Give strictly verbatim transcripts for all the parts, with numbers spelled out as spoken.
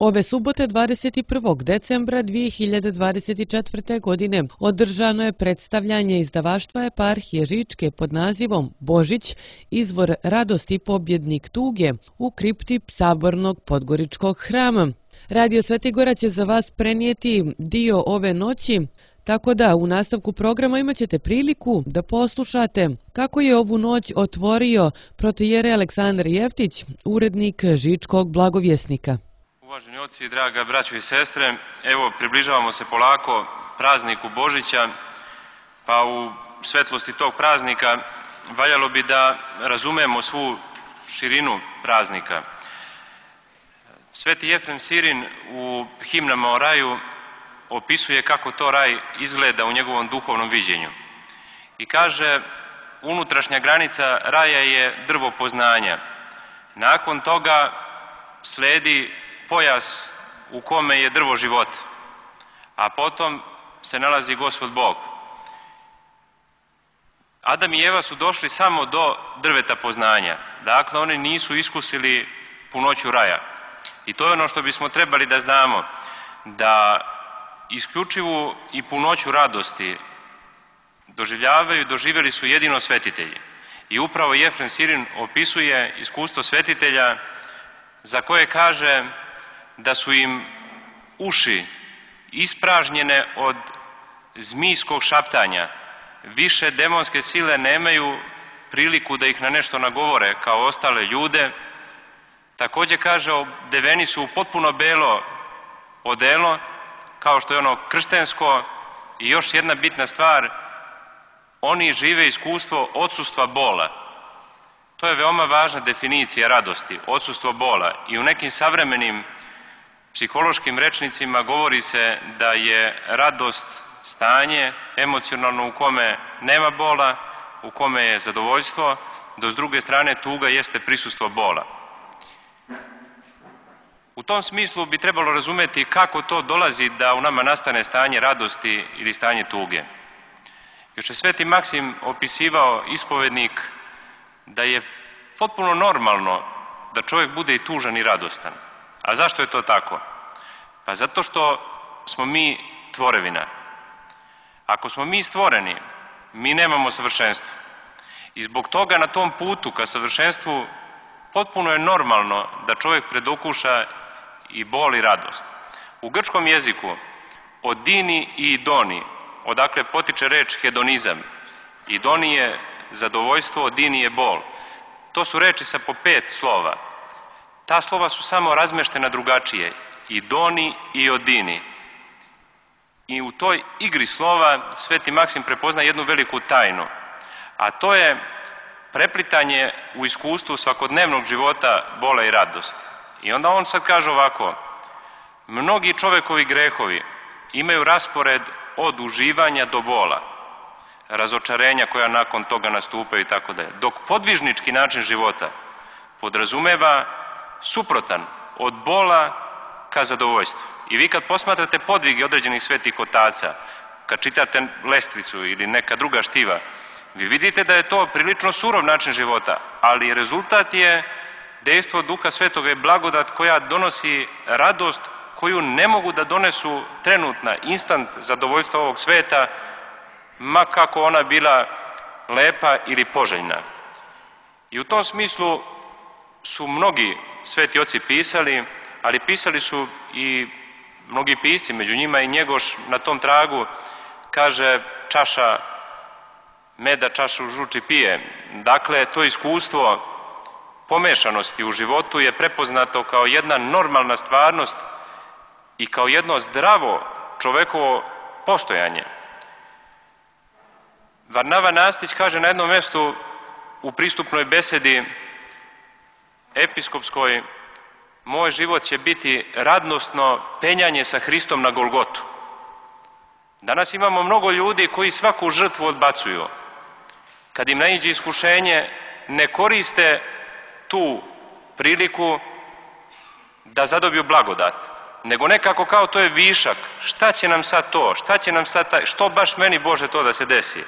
Ove subote dvadeset prvog decembra dvije hiljade dvadeset četvrte. godine održano je predstavljanje izdavaštva Eparhije Žičke pod nazivom Božić, izvor radosti pobjednik tuge u kripti Sabornog Podgoričkog hrama. Radio Sveti Gora će za vas prenijeti dio ove noći, tako da u nastavku programa imat ćete priliku da poslušate kako je ovu noć otvorio protijere Aleksandar Jeftić, urednik Žičkog blagovjesnika. Uvaženi oci, draga braćo i sestre, evo približavamo se polako prazniku Božića, pa u svetlosti tog praznika valjalo bi da razumemo svu širinu praznika. Sveti Jefrem Sirin u himnama o raju opisuje kako to raj izgleda u njegovom duhovnom viđenju. I kaže, unutrašnja granica raja je drvo poznanja. Nakon toga sledi pojas u kome je drvo života, a potom se nalazi Gospod Bog. Adam i Eva su došli samo do drveta poznanja, dakle oni nisu iskusili punoću raja. I to je ono što bismo trebali da znamo, da isključivu i punoću radosti doživljavaju, doživjeli su jedino svetitelji. I upravo Jefrem Sirin opisuje iskustvo svetitelja za koje kaže da su im uši ispražnjene od zmijskog šaptanja. Više demonske sile nemaju priliku da ih na nešto nagovore kao ostale ljude. Također kaže, odeveni su u potpuno belo odelo, kao što je ono krštensko. I još jedna bitna stvar, oni žive iskustvo odsustva bola. To je veoma važna definicija radosti, odsustvo bola. I u nekim savremenim psihološkim rečnicima govori se da je radost stanje emocionalno u kome nema bola, u kome je zadovoljstvo, dok s druge strane tuga jeste prisustvo bola. U tom smislu bi trebalo razumjeti kako to dolazi da u nama nastane stanje radosti ili stanje tuge. Još je Sveti Maksim opisivao, ispovednik, da je potpuno normalno da čovjek bude i tužan i radostan. A zašto je to tako? Pa zato što smo mi tvorevina. Ako smo mi stvoreni, mi nemamo savršenstvo. I zbog toga na tom putu ka savršenstvu potpuno je normalno da čovjek predokuša i bol i radost. U grčkom jeziku od dini i idoni, odakle potiče reč hedonizam. Idoni je zadovoljstvo, dini je bol. To su reči sa po pet slova. Ta slova su samo razmeštena drugačije. Idoni i odini. I u toj igri slova Sveti Maksim prepozna jednu veliku tajnu. A to je preplitanje u iskustvu svakodnevnog života bola i radosti. I onda on sad kaže ovako, mnogi čovekovi grehovi imaju raspored od uživanja do bola, razočarenja koja nakon toga nastupaju i tako dalje. Dok podvižnički način života podrazumeva suprotan, od bola ka zadovoljstvu. I vi kad posmatrate podvige određenih svetih otaca, kad čitate lestvicu ili neka druga štiva, vi vidite da je to prilično surov način života, ali rezultat je dejstvo Duha Svetoga i blagodat koja donosi radost koju ne mogu da donesu trenutna, instant zadovoljstva ovog sveta, ma kako ona bila lepa ili poželjna. I u tom smislu su mnogi sveti oci pisali, ali pisali su i mnogi pisci, među njima i Njegoš na tom tragu, kaže čaša meda, čašu žuči pije. Dakle, to iskustvo pomešanosti u životu je prepoznato kao jedna normalna stvarnost i kao jedno zdravo čovekovo postojanje. Varnava Nastić kaže na jednom mjestu u pristupnoj besedi episkopskoj, moj život će biti radosno penjanje sa Hristom na Golgotu. Danas imamo mnogo ljudi koji svaku žrtvu odbacuju. Kad im naiđe iskušenje, ne koriste tu priliku da zadobiju blagodat, nego nekako kao to je višak. Šta će nam sad to? Šta će nam sad taj? Što baš meni, Bože, to da se desi?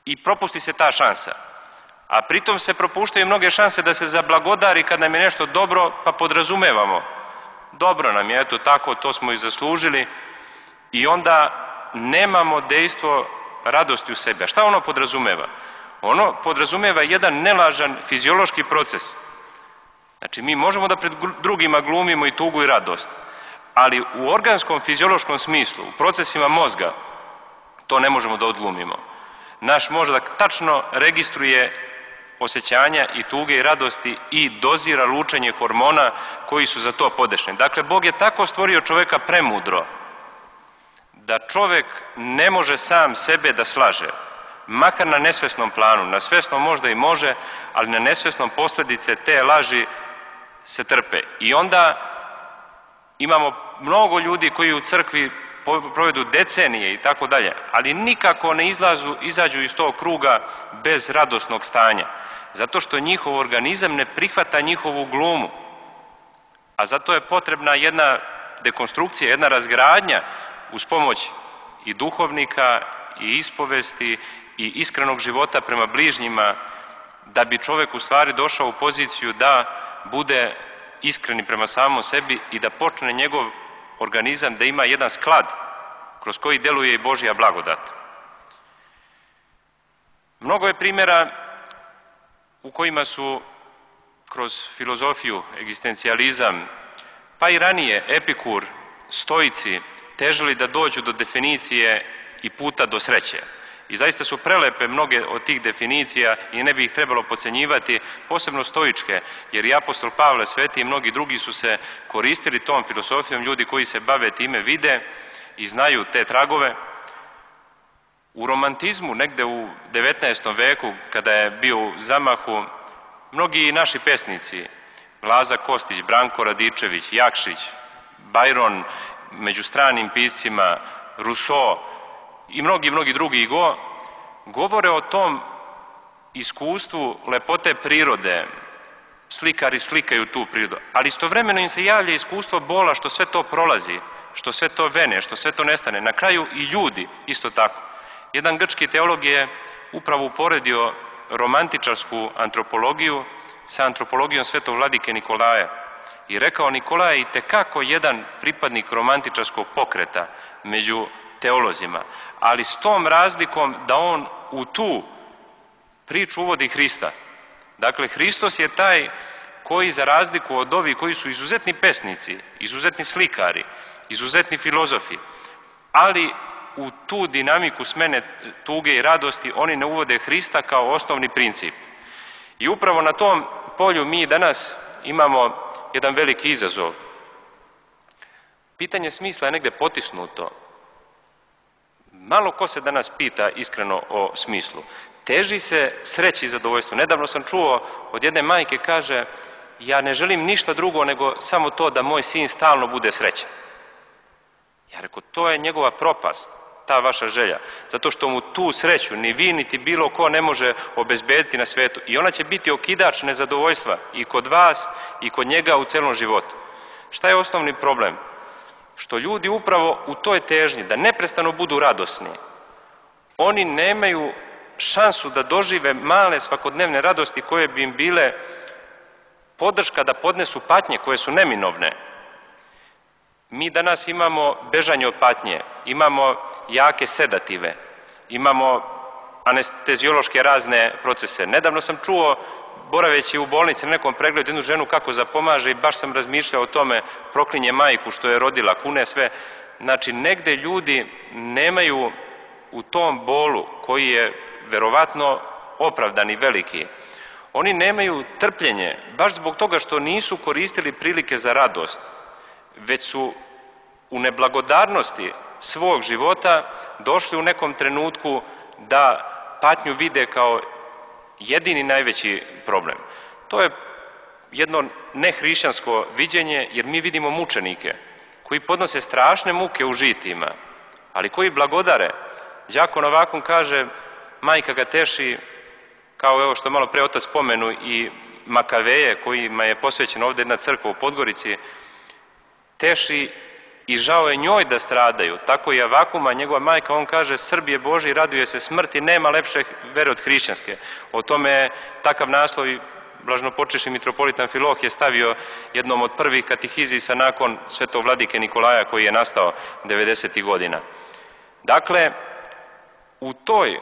I propusti se ta šansa. A pritom se propuštaju mnoge šanse da se zablagodari kad nam je nešto dobro, pa podrazumevamo. dobro nam je, eto tako, to smo i zaslužili, i onda nemamo dejstvo radosti u sebi. A šta ono podrazumeva? Ono podrazumeva jedan nelažan fiziološki proces. Znači, mi možemo da pred drugima glumimo i tugu i radost, ali u organskom fiziološkom smislu, u procesima mozga, to ne možemo da odglumimo. Naš mozak tačno registruje osjećanja i tuge i radosti i dozira lučenje hormona koji su za to podešni. Dakle, Bog je tako stvorio čoveka premudro da čovek ne može sam sebe da slaže, makar na nesvesnom planu. Na svesnom možda i može, ali na nesvesnom posljedice te laži se trpe. I onda imamo mnogo ljudi koji u crkvi provedu decenije i tako dalje, ali nikako ne izlazu, izađu iz tog kruga bez radosnog stanja. Zato što njihov organizam ne prihvata njihovu glumu. A zato je potrebna jedna dekonstrukcija, jedna razgradnja uz pomoć i duhovnika, i ispovesti, i iskrenog života prema bližnjima, da bi čovjek u stvari došao u poziciju da bude iskreni prema samom sebi i da počne njegov organizam da ima jedan sklad kroz koji deluje i Božja blagodat. Mnogo je primjera u kojima su kroz filozofiju, egzistencijalizam, pa i ranije Epikur, stoici, težili da dođu do definicije i puta do sreće. I zaista su prelepe mnoge od tih definicija i ne bi ih trebalo podcenjivati, posebno stoičke, jer i apostol Pavle Sveti i mnogi drugi su se koristili tom filosofijom, ljudi koji se bave time vide i znaju te tragove. U romantizmu, negde u devetnaestom veku, kada je bio u zamahu, mnogi naši pesnici, Laza Kostić, Branko Radičević, Jakšić, Bajron, među stranim piscima, Rousseau i mnogi, mnogi drugi go, govore o tom iskustvu lepote prirode. Slikari slikaju tu prirodu, ali istovremeno im se javlja iskustvo bola što sve to prolazi, što sve to vene, što sve to nestane. Na kraju i ljudi isto tako. Jedan grčki teolog je upravo uporedio romantičarsku antropologiju sa antropologijom svetog vladike Nikolaja i rekao Nikolaj je itekako jedan pripadnik romantičarskog pokreta među teolozima, ali s tom razlikom da on u tu priču uvodi Hrista. Dakle, Hristos je taj koji, za razliku od ovih koji su izuzetni pesnici, izuzetni slikari, izuzetni filozofi, ali u tu dinamiku smene tuge i radosti oni ne uvode Hrista kao osnovni princip. I upravo na tom polju mi danas imamo jedan veliki izazov. Pitanje smisla je negde potisnuto. Malo ko se danas pita iskreno o smislu. Teži se sreći i zadovoljstvu. Nedavno sam čuo od jedne majke, kaže, ja ne želim ništa drugo nego samo to da moj sin stalno bude srećan. Ja rekao, to je njegova propast, ta vaša želja, zato što mu tu sreću ni vi niti bilo ko ne može obezbediti na svetu i ona će biti okidač nezadovoljstva i kod vas i kod njega u celom životu. Šta je osnovni problem? Što ljudi upravo u toj težnji da neprestano budu radosni, oni nemaju šansu da dožive male svakodnevne radosti koje bi im bile podrška da podnesu patnje koje su neminovne. Mi danas imamo bežanje od patnje, imamo jake sedative, imamo anesteziološke razne procese. Nedavno sam čuo, boraveći u bolnici na nekom pregledu, jednu ženu kako zapomaže i baš sam razmišljao o tome, proklinje majku što je rodila, kune sve. Znači, negde ljudi nemaju u tom bolu, koji je verovatno opravdan i veliki, oni nemaju trpljenje, baš zbog toga što nisu koristili prilike za radost, već su u neblagodarnosti svog života došli u nekom trenutku da patnju vide kao jedini najveći problem. To je jedno nehrišćansko viđenje, jer mi vidimo mučenike koji podnose strašne muke u žitima, ali koji blagodare. Đako Novakun kaže, majka ga teši, kao evo što malo pre otac spomenu, i Makaveje, kojima je posvećena ovdje jedna crkva u Podgorici, teši i žao je njoj da stradaju. Tako i Avakuma, njegova majka, on kaže, Srbije Boži, raduje se smrti, nema lepše vere od hrišćanske. O tome je takav naslov blaženopočivši mitropolit Amfilohije stavio jednom od prvih katehizisa nakon svetog vladike Nikolaja koji je nastao devedesetih godina. Dakle, u toj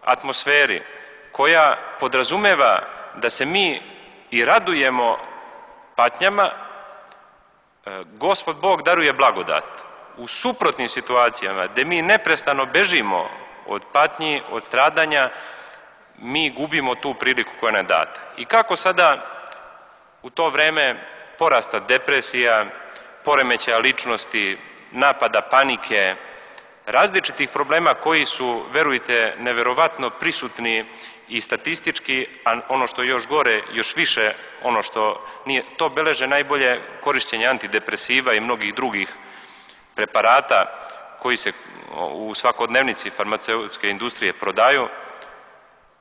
atmosferi koja podrazumeva da se mi i radujemo patnjama, Gospod Bog daruje blagodat. U suprotnim situacijama, gdje mi neprestano bežimo od patnji, od stradanja, mi gubimo tu priliku koja nam je data. I kako sada u to vreme porasta depresija, poremećaja ličnosti, napada panike, različitih problema koji su, verujte, neverovatno prisutni i statistički, a ono što je još gore, još više, ono što nije, to beleže najbolje korišćenje antidepresiva i mnogih drugih preparata koji se u svakodnevnici farmaceutske industrije prodaju.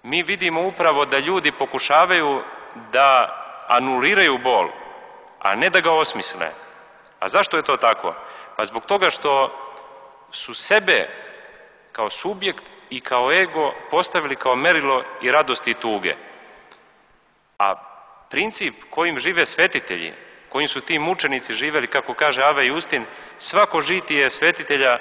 Mi vidimo upravo da ljudi pokušavaju da anuliraju bol, a ne da ga osmisle. A zašto je to tako? Pa zbog toga što su sebe kao subjekt i kao ego postavili kao merilo i radosti i tuge. A princip kojim žive svetitelji, kojim su ti mučenici živjeli, kako kaže Ava Justin, svako žitije svetitelja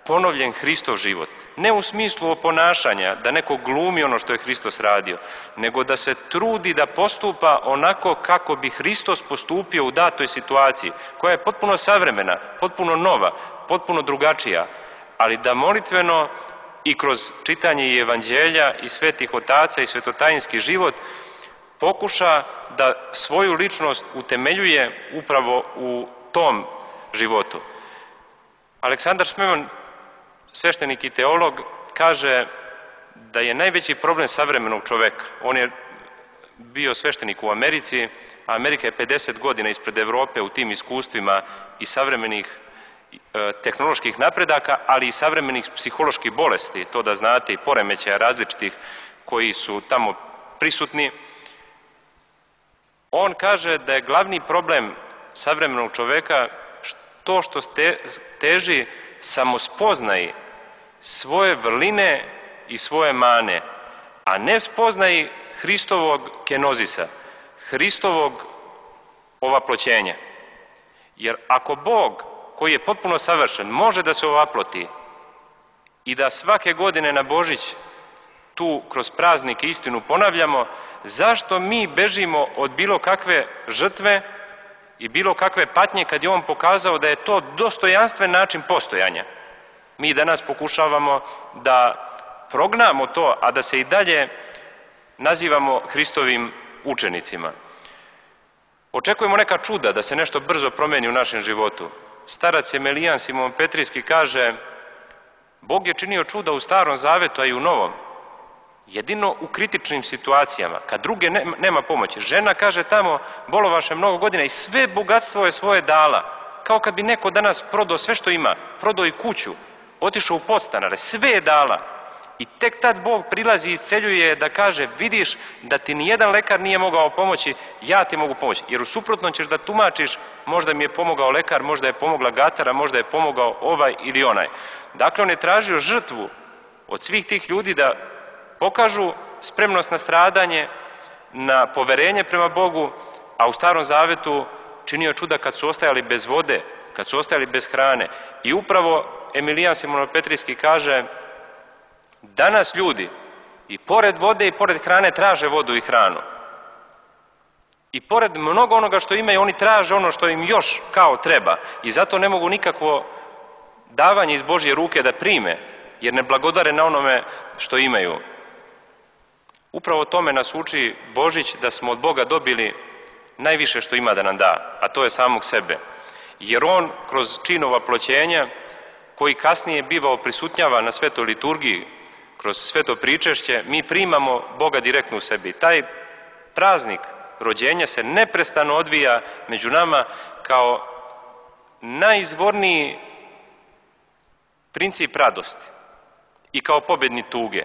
ponovljen Hristov život. Ne u smislu oponašanja, da neko glumi ono što je Hristos radio, nego da se trudi da postupa onako kako bi Hristos postupio u datoj situaciji, koja je potpuno savremena, potpuno nova, potpuno drugačija, ali da molitveno i kroz čitanje i evanđelja i svetih otaca i svetotajinski život pokuša da svoju ličnost utemeljuje upravo u tom životu. Aleksandar Šmeman, sveštenik i teolog, kaže da je najveći problem savremenog čoveka. On je bio sveštenik u Americi, a Amerika je pedeset godina ispred Evrope u tim iskustvima i savremenih e, tehnoloških napredaka, ali i savremenih psiholoških bolesti, to da znate, i poremećaja različitih koji su tamo prisutni. On kaže da je glavni problem savremenog čoveka to što teži samospoznaji svoje vrline i svoje mane, a ne spoznaji Hristovog kenozisa, Hristovog ovaploćenja. Jer ako Bog, koji je potpuno savršen, može da se ovaploti i da svake godine na Božić tu kroz praznik istinu ponavljamo, zašto mi bežimo od bilo kakve žrtve i bilo kakve patnje kad je on pokazao da je to dostojanstven način postojanja? Mi danas pokušavamo da prognamo to, a da se i dalje nazivamo Hristovim učenicima. Očekujemo neka čuda, da se nešto brzo promeni u našem životu. Starac Emelijan Simon Petrijski kaže: Bog je činio čuda u Starom Zavetu, a i u Novom. Jedino u kritičnim situacijama, kad druge nema pomoći. Žena, kaže, tamo bolovaše mnogo godina i sve bogatstvo je svoje dala. Kao kad bi neko danas prodao sve što ima, prodao i kuću, otišao u podstanare, sve je dala. I tek tad Bog prilazi i isceljuje da kaže: vidiš da ti nijedan lekar nije mogao pomoći, ja ti mogu pomoći. Jer u suprotnom ćeš da tumačiš, možda mi je pomogao lekar, možda je pomogla gatara, možda je pomogao ovaj ili onaj. Dakle, on je tražio žrtvu od svih tih ljudi da pokažu spremnost na stradanje, na poverenje prema Bogu, a u Starom Zavetu činio čuda kad su ostajali bez vode, kad su ostajali bez hrane. I upravo Emilijan Simono-Petrijski kaže: danas ljudi i pored vode i pored hrane traže vodu i hranu. I pored mnogo onoga što imaju, oni traže ono što im još kao treba. I zato ne mogu nikakvo davanje iz Božje ruke da prime, jer ne blagodare na onome što imaju. Upravo tome nas uči Božić, da smo od Boga dobili najviše što ima da nam da, a to je samog sebe. Jer on kroz čin ovaploćenja, koji kasnije bivao prisutnjava na svetoj liturgiji, kroz sveto pričešće, mi primamo Boga direktno u sebi. Taj praznik rođenja se neprestano odvija među nama kao najizvorniji princip radosti i kao pobedni tuge.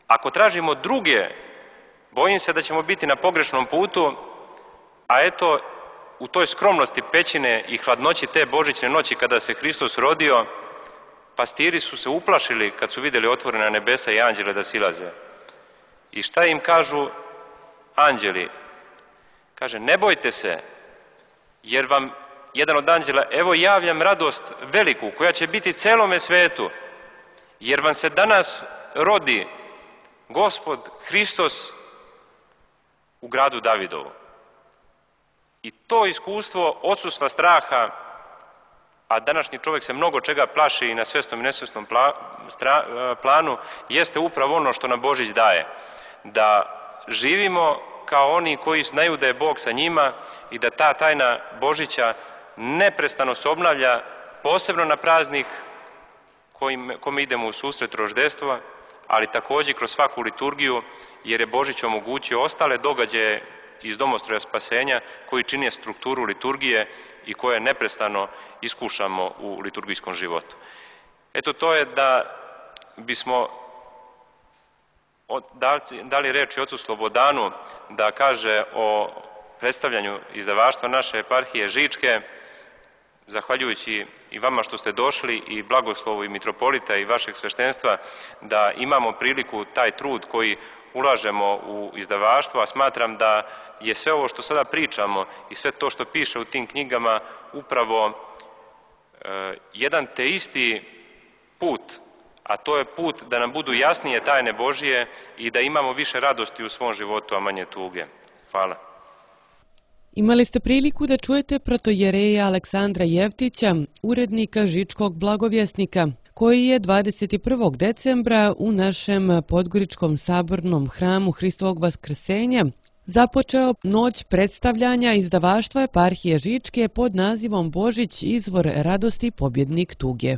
Ako tražimo druge, bojim se da ćemo biti na pogrešnom putu, a eto, u toj skromnosti pećine i hladnoći te božićne noći kada se Hristos rodio, pastiri su se uplašili kad su vidjeli otvorena nebesa i anđele da silaze. I šta im kažu? anđeli, kaže, ne bojte se, jer vam jedan od anđela, evo javljam radost veliku, koja će biti celome svetu, jer vam se danas rodi Gospod Hristos u gradu Davidovu. I to iskustvo odsustva straha, a današnji čovjek se mnogo čega plaši i na svjesnom i nesvjesnom planu, jeste upravo ono što nam Božić daje. Da živimo kao oni koji znaju da je Bog sa njima i da ta tajna Božića neprestano se obnavlja, posebno na praznik kome idemo u susret roždestva, ali također kroz svaku liturgiju, jer je Božić omogućio ostale događaje iz domostroja spasenja koji čine strukturu liturgije i koje neprestano iskušamo u liturgijskom životu. Eto, to je da bismo dali reč i ocu Slobodanu da kaže o predstavljanju izdavaštva naše eparhije Žičke, zahvaljujući i vama što ste došli i blagoslovu i mitropolita i vašeg sveštenstva, da imamo priliku taj trud koji ulažemo u izdavaštvo, a smatram da je sve ovo što sada pričamo i sve to što piše u tim knjigama upravo e, jedan te isti put, a to je put da nam budu jasnije tajne Božije i da imamo više radosti u svom životu, a manje tuge. Hvala. Imali ste priliku da čujete protojereja Aleksandra Jevtića, urednika Žičkog blagovjesnika, koji je dvadeset prvog decembra u našem podgoričkom sabornom hramu Hristovog vaskrsenja započeo noć predstavljanja izdavaštva eparhije Žičke pod nazivom Božić, izvor radosti, pobjednik tuge.